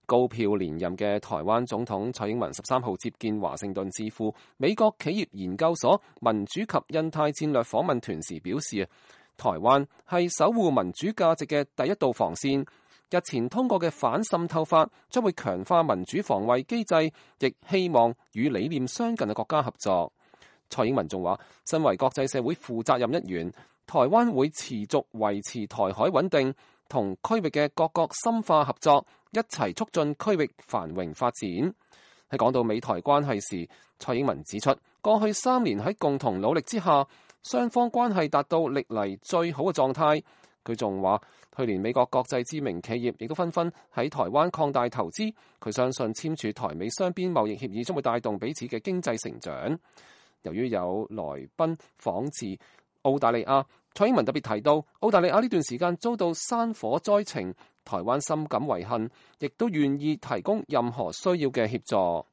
高票連任嘅台灣總統蔡英文13號接見華盛頓智庫美國企業研究所民主及印太戰略訪問團時表示，台灣係守護民主價值嘅第一道防線。日前通過嘅反滲透法將會強化民主防衛機制，亦希望與理念相近嘅國家合作。蔡英文仲話，身為國際社會負責任一員，台灣會持續維持台海穩定，同區域嘅各國深化合作，一齊促進區域繁榮發展。喺講到美台關係時，蔡英文指出，過去3年喺共同努力之下，雙方關係達到歷嚟最好嘅狀態。佢仲話，去年美國國際知名企業亦都紛紛喺台灣擴大投資。佢相信簽署台美雙邊貿易協議將會帶動彼此嘅經濟成長。由於有來賓訪自澳大利亞，蔡英文特別提到，澳大利亞呢段時間遭到山火災情，台灣深感遺憾，亦都願意提供任何需要嘅協助。